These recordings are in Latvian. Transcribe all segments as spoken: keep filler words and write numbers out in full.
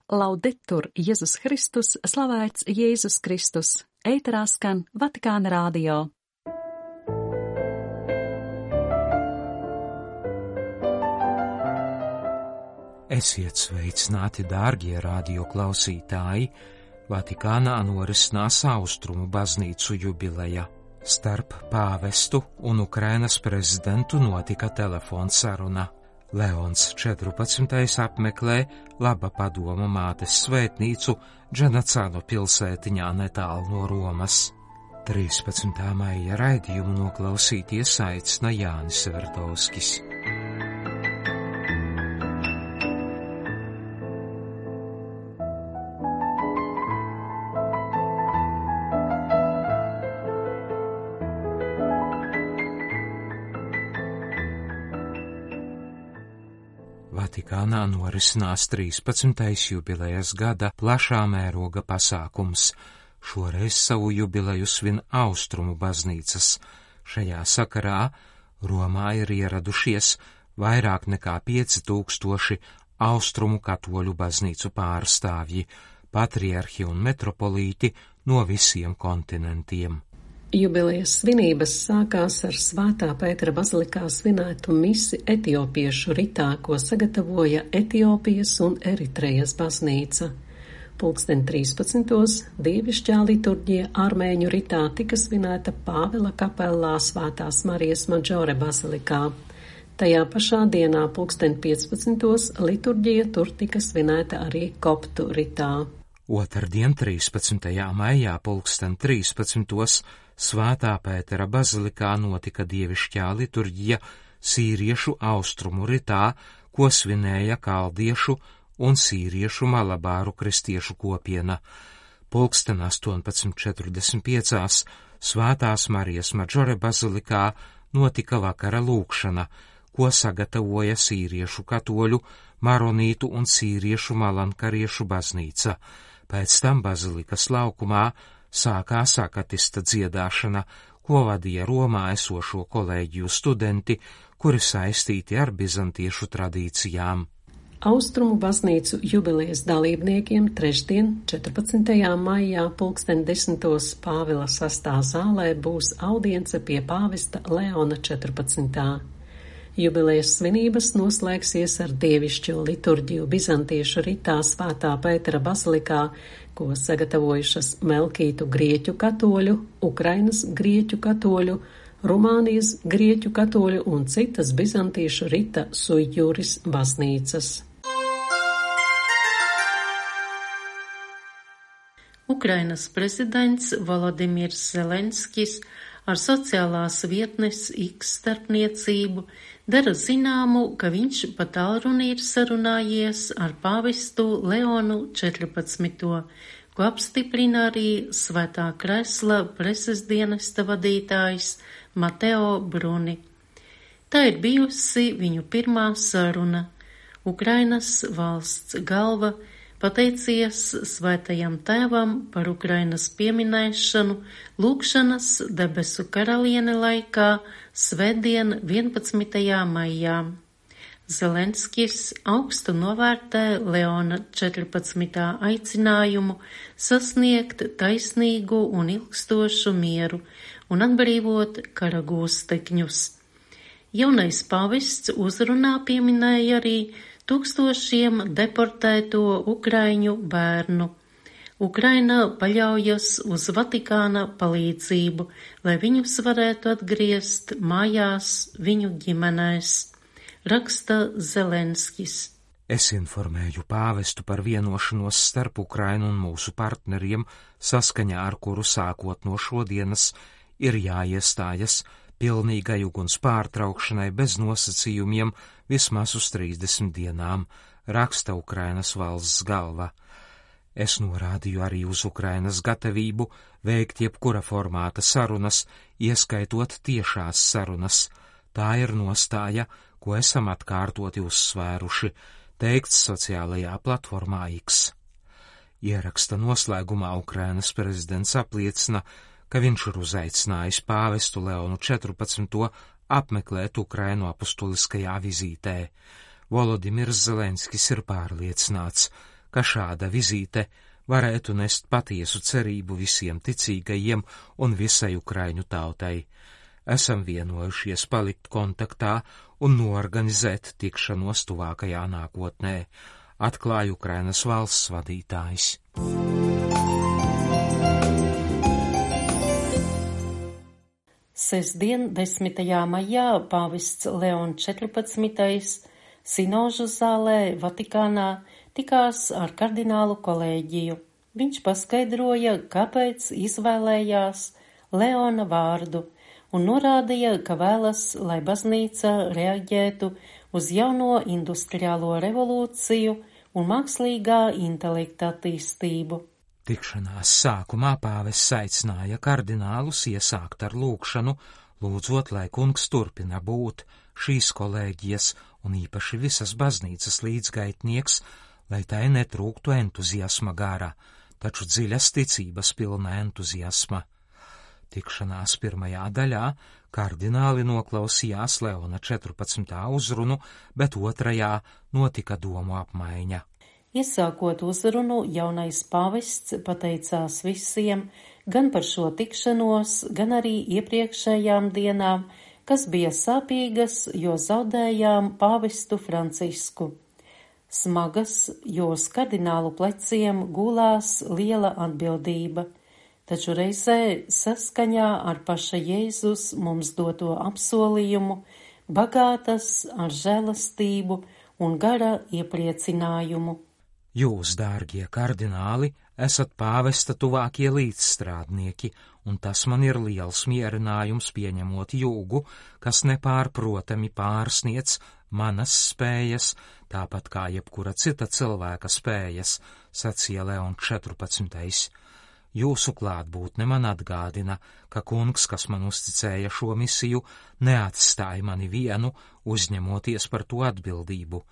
Laudetur Jēzus Kristus, slavēts Jēzus Kristus, ēterā skan Vatikāna radio. Esiet sveicināti, dārgie radio klausītāji! Vatikānā norisinās Austrumu baznīcu jubileja. Starp pāvestu un Ukrainas prezidentu notika telefonsaruna. Leons četrpadsmitais apmeklē Laba padoma mātes svētnīcu Dženacānu pilsētiņā netālu no Romas. trīspadsmitā maija raidījumu noklausīties aicina Jānis Vertovskis. Vatikānā norisinās trīspadsmitais jubilejas gada plašā mēroga pasākums. Šoreiz savu jubileju svin Austrumu baznīcas. Šajā sakarā Romā ir ieradušies vairāk nekā pieci tūkstoši Austrumu katoļu baznīcu pārstāvji, patriarhi un metropolīti no visiem kontinentiem. Jubilejas svinības sākās ar Svētā Pētera bazilikā svinētu misi etiopiešu ritā, ko sagatavoja Etiopijas un Eritrejas baznīca. Pulksten trīspadsmitos dievišķā liturģija armēņu ritā tika svinēta Pāvila kapellā Svētās Marijas Madžore bazilikā. Tajā pašā dienā pulksten piecpadsmitos liturģija tur tika svinēta arī koptu ritā. Otrdien trīspadsmitajā maijā pulksten trīspadsmitos Svētā Pētera bazilikā notika dievišķā liturģija sīriešu austrumu ritā, ko svinēja kaldiešu un sīriešu malabāru kristiešu kopiena. Pulksten astoņpadsmit četrdesmit piecās Svētās Marijas Madžore bazilikā notika vakara lūkšana, ko sagatavoja sīriešu katoļu, maronītu un sīriešu malankariešu baznīca. Pēc tam bazilikas laukumā sākās akatista dziedāšana, ko vadīja Romā esošo kolēģiju studenti, kuri saistīti ar bizantiešu tradīcijām. Austrumu baznīcu jubilejas dalībniekiem trešdien, četrpadsmitajā maijā pulksten desmitos Pāvila sastā zālē būs audience pie pāvesta Leona četrpadsmitā. Jubilejas svinības noslēgsies ar dievišķo liturģiju bizantiešu ritā Svētā Pētera bazilikā, ko sagatavojušas Melkītu grieķu katoļu, Ukrainas grieķu katoļu, Rumānijas grieķu katoļu un citas bizantiešu rita sui juris baznīcas. Ukrainas prezidents Volodimirs Zelenskis ar sociālās vietnes X starpniecību dara zināmu, ka viņš pa tālruni ir sarunājies ar pāvestu Leonu četrpadsmito, ko apstiprina arī Svētā Kresla preses dienesta vadītājs Mateo Bruni. Tā ir bijusi viņu pirmā saruna. Ukrainas valsts galva pateicies Svētajam Tēvam par Ukrainas pieminēšanu lūkšanas debesu karaliene laikā svētdien vienpadsmitajā maijā. Zelenskis augstu novērtē Leona četrpadsmitā aicinājumu sasniegt taisnīgu un ilgstošu mieru un atbrīvot kara gūstekņus. Jaunais pavests uzrunā pieminēja arī tūkstošiem deportēto ukraiņu bērnu. Ukraina paļaujas uz Vatikāna palīdzību, lai viņus varētu atgriezt mājās viņu ģimenēs, raksta Zelenskis. Es informēju pāvestu par vienošanos starp Ukrainu un mūsu partneriem, saskaņā ar kuru sākot no šodienas ir jāiestājas pilnīgai uguns pārtraukšanai bez nosacījumiem vismaz uz trīsdesmit dienām, raksta Ukrainas valsts galva. Es norādīju arī uz Ukrainas gatavību veikt jebkura formāta sarunas, ieskaitot tiešās sarunas. Tā ir nostāja, ko esam atkārtoti uzsvēruši, teikts sociālajā platformā X. Ieraksta noslēgumā Ukrainas prezidents apliecina, ka viņš ir uzaicinājis pāvestu Leonu četrpadsmito apmeklēt Ukrainu apustuliskajā vizītē. Volodimirs Zelenskis ir pārliecināts, ka šāda vizīte varētu nest patiesu cerību visiem ticīgajiem un visai Ukraiņu tautai. Esam vienojušies palikt kontaktā un noorganizēt tikšanos tuvākajā nākotnē, atklāja Ukrainas valsts vadītājs. Sestdien, desmitajā maijā, pāvests Leons četrpadsmitais Sinožu zālē Vatikānā tikās ar kardinālu kolēģiju. Viņš paskaidroja, kāpēc izvēlējās Leona vārdu un norādīja, ka vēlas, lai baznīca reaģētu uz jauno industriālo revolūciju un mākslīgā intelekta attīstību. Tikšanās sākumā pāvests aicināja kardinālus iesākt ar lūgšanu, lūdzot, lai kungs turpina būt šīs kolēģijas un īpaši visas baznīcas līdzgaitnieks, lai tai netrūktu entuziasma gara, taču dziļas ticības pilna entuziasma. Tikšanās pirmajā daļā kardināli noklausījās Leona četrpadsmitā uzrunu, bet otrajā notika domu apmaiņa. Iesākot uzrunu, jaunais pāvests pateicās visiem gan par šo tikšanos, gan arī iepriekšējām dienām, kas bija sāpīgas, jo zaudējām pāvestu Francisku. Smagas, jo uz kardinālu pleciem gulās liela atbildība, taču reizē saskaņā ar paša Jēzus mums doto apsolījumu, bagātas ar žēlastību un gara iepriecinājumu. Jūs, dārgie kardināli, esat pāvesta tuvākie līdzstrādnieki, un tas man ir liels mierinājums pieņemot jūgu, kas nepārprotami pārsniedz manas spējas, tāpat kā jebkura cita cilvēka spējas, sacīja Leons četrpadsmitais. Jūsu klātbūtne man atgādina, ka kungs, kas man uzticēja šo misiju, neatstāja mani vienu, uzņemoties par to atbildību.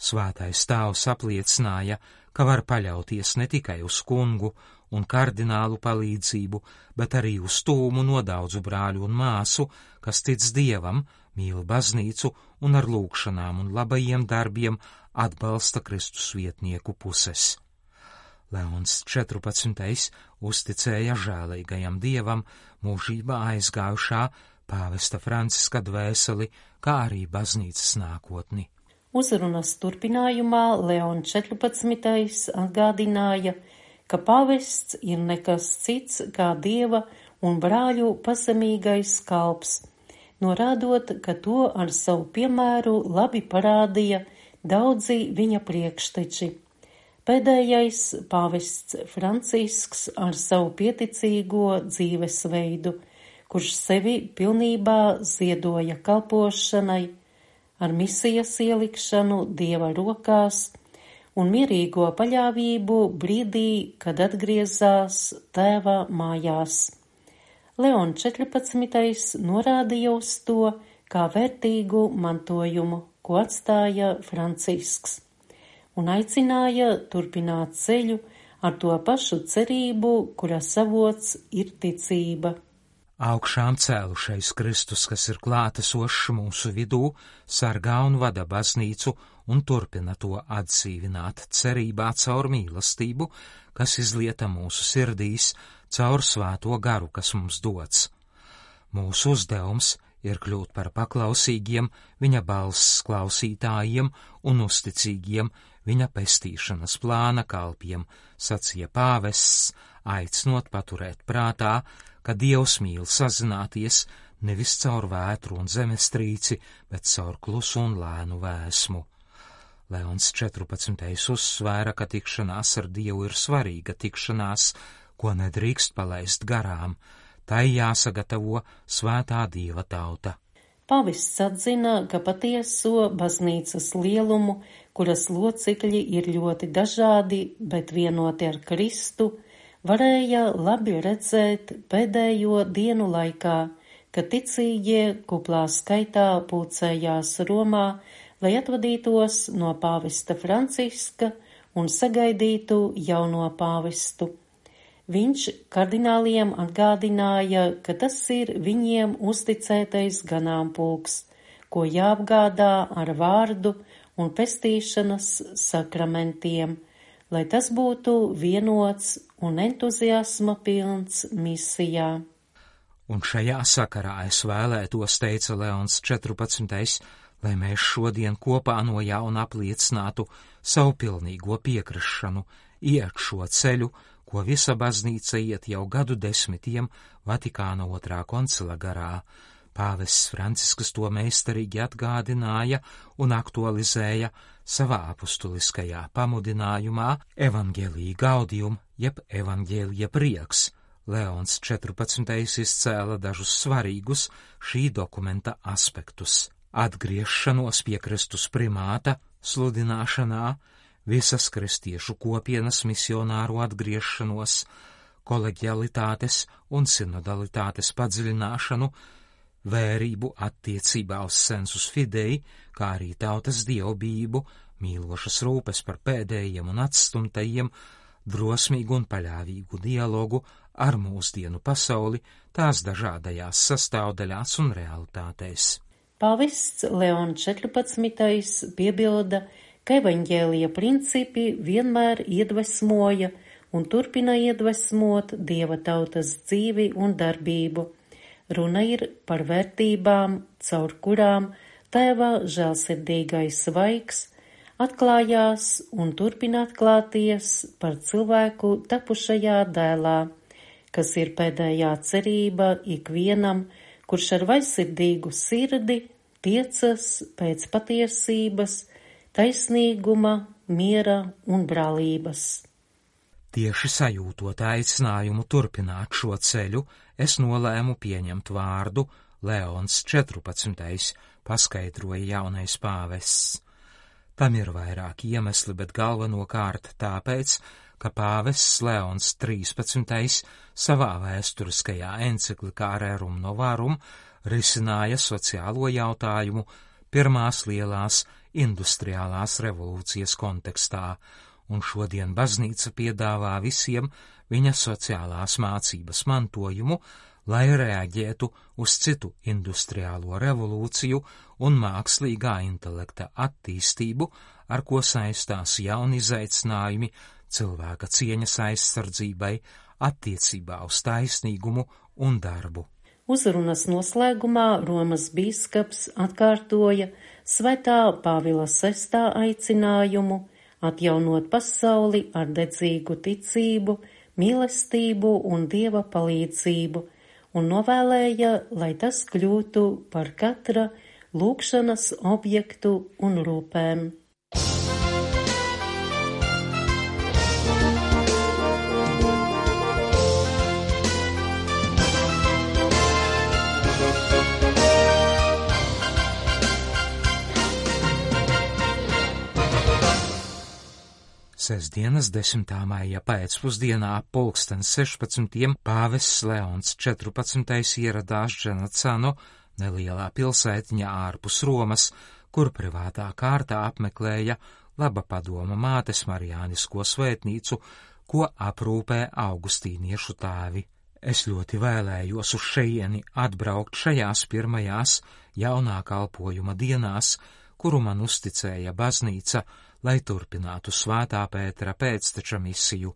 Svētais tēvs apliecināja, ka var paļauties ne tikai uz kungu un kardinālu palīdzību, bet arī uz tūmu no daudzu brāļu un māsu, kas tic Dievam, mīl baznīcu un ar lūgšanām un labajiem darbiem atbalsta Kristus vietnieku puses. Leons četrpadsmitais uzticēja žēlīgajam Dievam mūžībā aizgājušā pāvesta Franciska dvēseli, kā arī baznīcas nākotni. Uzrunas turpinājumā Leons četrpadsmitais atgādināja, ka pāvests ir nekas cits kā Dieva un brāļu pazemīgais kalps, norādot, ka to ar savu piemēru labi parādīja daudzi viņa priekšteči. Pēdējais pāvests Francisks ar savu pieticīgo dzīvesveidu, kurš sevi pilnībā ziedoja kalpošanai, ar misijas ielikšanu Dieva rokās un mierīgo paļāvību brīdī, kad atgriezās tēva mājās. Leons četrpadsmitais norādīja uz to kā vērtīgu mantojumu, ko atstāja Francisks, un aicināja turpināt ceļu ar to pašu cerību, kura savots ir ticība. Augšām cēlušais Kristus, kas ir klātesošs mūsu vidū, sargā un vada baznīcu un turpina to atdzīvināt cerībā caur mīlestību, kas izlieta mūsu sirdīs, caur svēto garu, kas mums dots. Mūsu uzdevums ir kļūt par paklausīgiem viņa balss klausītājiem un uzticīgiem viņa pestīšanas plāna kalpiem, sacīja pāvests, aicinot paturēt prātā, ka Dievs mīl sazināties nevis caur vētru un zemestrīci, bet caur klusu un lēnu vēsmu. Leons četrpadsmitais uzsvēra, ka tikšanās ar Dievu ir svarīga tikšanās, ko nedrīkst palaist garām, tai jāsagatavo svētā Dieva tauta. Pāvests atzina, ka patieso baznīcas lielumu, kuras locekļi ir ļoti dažādi, bet vienoti ar Kristu, varēja labi redzēt pēdējo dienu laikā, kad ticīgie kuplā skaitā pulcējās Romā, lai atvadītos no pāvesta Franciska un sagaidītu jauno pāvestu. Viņš kardināliem atgādināja, ka tas ir viņiem uzticētais ganāmpulks, ko jāapgādā ar vārdu un pestīšanas sakramentiem, lai tas būtu vienots un entuziasma pilns misijā. Un šajā sakarā es vēlētos, teica Leons četrpadsmitais, lai mēs šodien kopā no jauna apliecinātu savu pilnīgo piekrišanu, iet šo ceļu, ko visa baznīca iet jau gadu desmitiem Vatikāna otrā koncila garā. Pāvests Francisks to meistarīgi atgādināja un aktualizēja savā apustuliskajā pamudinājumā Evangelii Gaudium, jeb Evangelija prieks. Leons četrpadsmitais izcēla dažus svarīgus šī dokumenta aspektus. Atgriešanos pie Kristus primāta sludināšanā, visas kristiešu kopienas misionāru atgriešanos, koleģialitātes un sinodalitātes padziļināšanu, vērību attiecībā uz sensus fidei, kā arī tautas dievbijību, mīlošas rūpes par pēdējiem un atstumtajiem, drosmīgu un paļāvīgu dialogu ar mūsdienu pasauli, tās dažādajās sastāvdaļās un realitātēs. Pāvests Leons četrpadsmitais piebilda, ka evaņģēlija principi vienmēr iedvesmoja un turpina iedvesmot Dieva tautas dzīvi un darbību. Runa ir par vērtībām, caur kurām Tēva žēlsirdīgais svaigs atklājās un turpina atklāties par cilvēku tapušajā dēlā, kas ir pēdējā cerība ikvienam, kurš ar vaļsirdīgu sirdi tiecas pēc patiesības, taisnīguma, miera un brālības. Tieši sajūtot aicinājumu turpināt šo ceļu, es nolēmu pieņemt vārdu Leons četrpadsmitais, paskaidroja jaunais pāvests. Tam ir vairāki iemesli, bet galvenokārt tāpēc, ka pāvests Leons trīspadsmitais savā vēsturiskajā enciklikā Rerum Novarum risināja sociālo jautājumu pirmās lielās industriālās revolūcijas kontekstā, un šodien baznīca piedāvā visiem viņa sociālās mācības mantojumu, lai reaģētu uz citu industriālo revolūciju un mākslīgā intelekta attīstību, ar ko saistās jauni izaicinājumi cilvēka cieņas aizsardzībai, attiecībā uz taisnīgumu un darbu. Uzrunas noslēgumā Romas bīskaps atkārtoja Svētā Pāvila sestā aicinājumu atjaunot pasauli ar dedzīgu ticību, mīlestību un Dieva palīdzību, un novēlēja, lai tas kļūtu par katra lūgšanas objektu un rūpēm. Sestdienas desmitā maija pēcpusdienā pulksten sešpadsmitiem pāvests Leons četrpadsmitais ieradās Dženacano, nelielā pilsētiņā ārpus Romas, kur privātā kārtā apmeklēja Laba padoma mātes Marijānisko svētnīcu, ko aprūpē augustīniešu tēvi. Es ļoti vēlējos uz šejieni atbraukt šajās pirmajās jaunā kalpojuma dienās, kuru man uzticēja baznīca, lai turpinātu Svētā Pētera pēcteča misiju,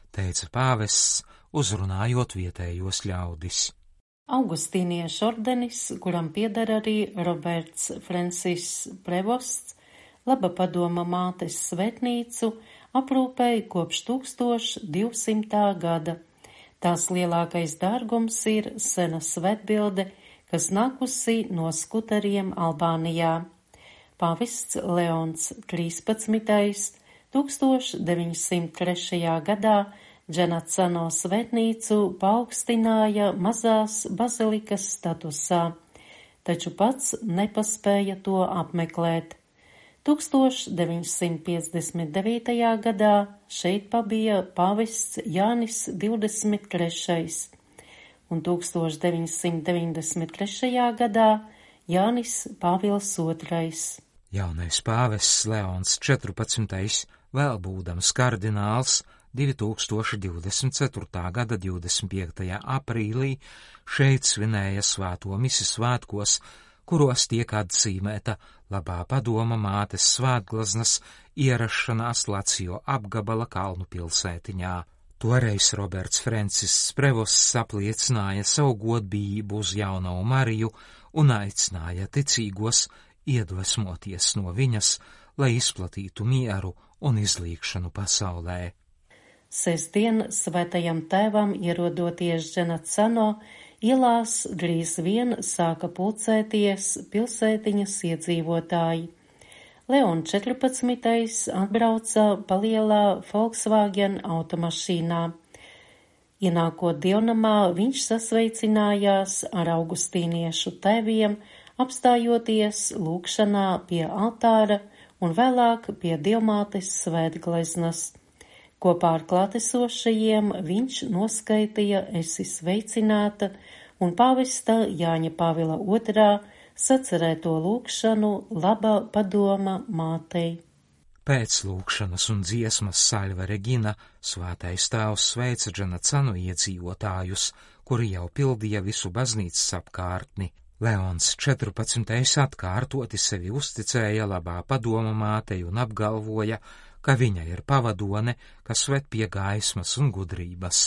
teica pāvests, uzrunājot vietējos ļaudis. Augustīniešu ordenis, kuram pieder arī Roberts Francis Prevosts, Laba padoma mātes svētnīcu aprūpēja kopš tūkstoš divsimtā gada. Tās lielākais dārgums ir sena svētbilde, kas nākusi no skuteriem Albānijā. Pāvests Leons trīspadsmitais tūkstoš deviņsimt trešajā gadā Dženacano svētnīcu paaugstināja mazās bazilikas statusā, taču pats nepaspēja to apmeklēt. tūkstoš deviņsimt piecdesmit devītajā gadā šeit pabija pāvests Jānis divdesmit trešais, un tūkstoš deviņsimt deviņdesmit trešajā gadā Jānis Pāvils otrais. Jaunais pāvests Leons četrpadsmitais, vēl būdams kardināls, divtūkstoš divdesmit ceturtā gada divdesmit piektajā aprīlī šeit svinēja svēto misi svētkos, kuros tiek atzīmēta Labā padoma mātes svētglaznas ierašanās Lacio apgabala kalnu pilsētiņā. Toreiz Roberts Francis Prevosts apliecināja savu godbijību uz jauno Mariju un aicināja ticīgos iedvesmoties no viņas, lai izplatītu mieru un izlīgšanu pasaulē. Sestdien svētajam tēvam ierodoties Dženacano, ielās drīz vien sāka pulcēties pilsētiņas iedzīvotāji. Leon četrpadsmitais atbrauca palielā Volkswagen automašīnā. Ienākot dievnamā, viņš sasveicinājās ar augustīniešu tēviem, apstājoties lūgšanā pie altāra un vēlāk pie dievmātes svētgleznas. Kopā ar klātesošajiem viņš noskaitīja esi sveicināta un pāvesta Jāņa Pāvila otrā sacerēto lūgšanu Labā padoma mātei. Pēc lūgšanas un dziesmas Salve Regina svētais tēvs sveica Dženacanu iedzīvotājus, kuri jau pildīja visu baznīcas apkārtni. Leons četrpadsmitais atkārtoti sevi uzticēja Labā padoma mātei un apgalvoja, ka viņa ir pavadone, kas ved pie gaismas un gudrības.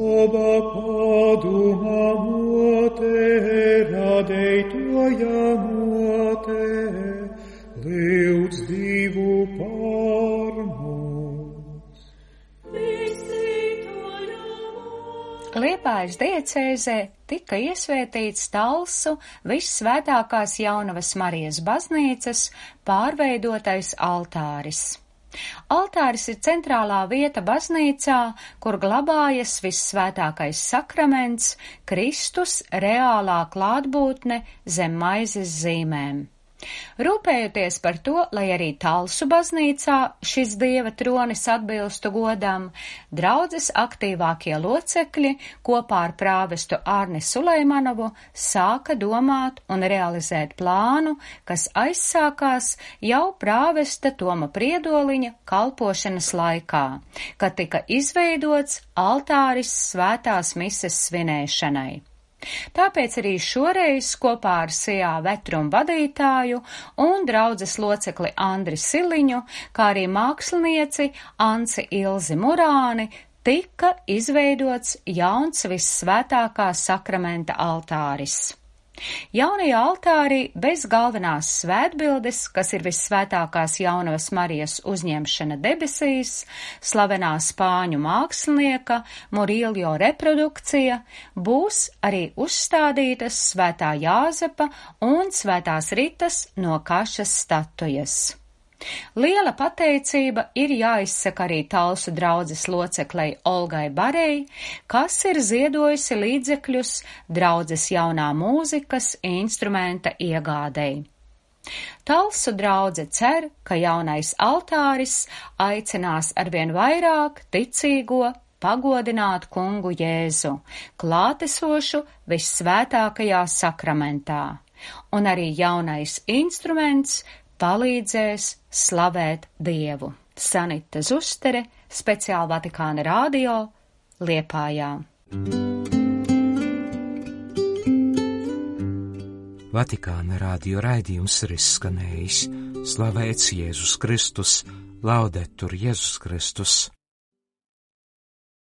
Labā padoma māte, radētoja māte, lūdz Dievu par mums. Liepājas diecēzē tika iesvētīts Talsu Vissvētākās Jaunavas Marijas baznīcas pārveidotais altāris. Altāris ir centrālā vieta baznīcā, kur glabājas Vissvētākais sakraments, Kristus reālā klātbūtne zem maizes zīmēm. Rūpējoties par to, lai arī Talsu baznīcā šis dieva tronis atbilstu godam, draudzes aktīvākie locekļi kopā ar prāvestu Ārni Suleimanovu sāka domāt un realizēt plānu, kas aizsākās jau prāvesta Toma Priedoliņa kalpošanas laikā, kad tika izveidots altāris svētās mises svinēšanai. Tāpēc arī šoreiz kopā ar Sijā Vetrumu vadītāju un draudzes locekli Andri Siliņu, kā arī mākslinieci Anci Ilzi Murāni, tika izveidots jauns Vissvētākā sakramenta altāris. Jaunajā altārī bez galvenās svētbildes, kas ir Vissvētākās Jaunavas Marijas uzņemšana debesīs, slavenā spāņu mākslinieka Murillo reprodukcija, būs arī uzstādītas Svētā Jāzepa un Svētās Ritas no kašas statujas. Liela pateicība ir jāizsaka arī Talsu draudzes loceklei Olgai Barei, kas ir ziedojusi līdzekļus draudzes jaunā mūzikas instrumenta iegādei. Talsu draudze cer, ka jaunais altāris aicinās arvien vairāk ticīgo pagodināt kungu Jēzu, klātesošu Vissvētākajā sakramentā, un arī jaunais instruments palīdzēs slavēt Dievu. Sanita Zustere, speciāli Vatikāna radio, Liepājā. Vatikāna radio raidījums ir izskanējis. Slavēts Jēzus Kristus, laudetur Jēzus Kristus.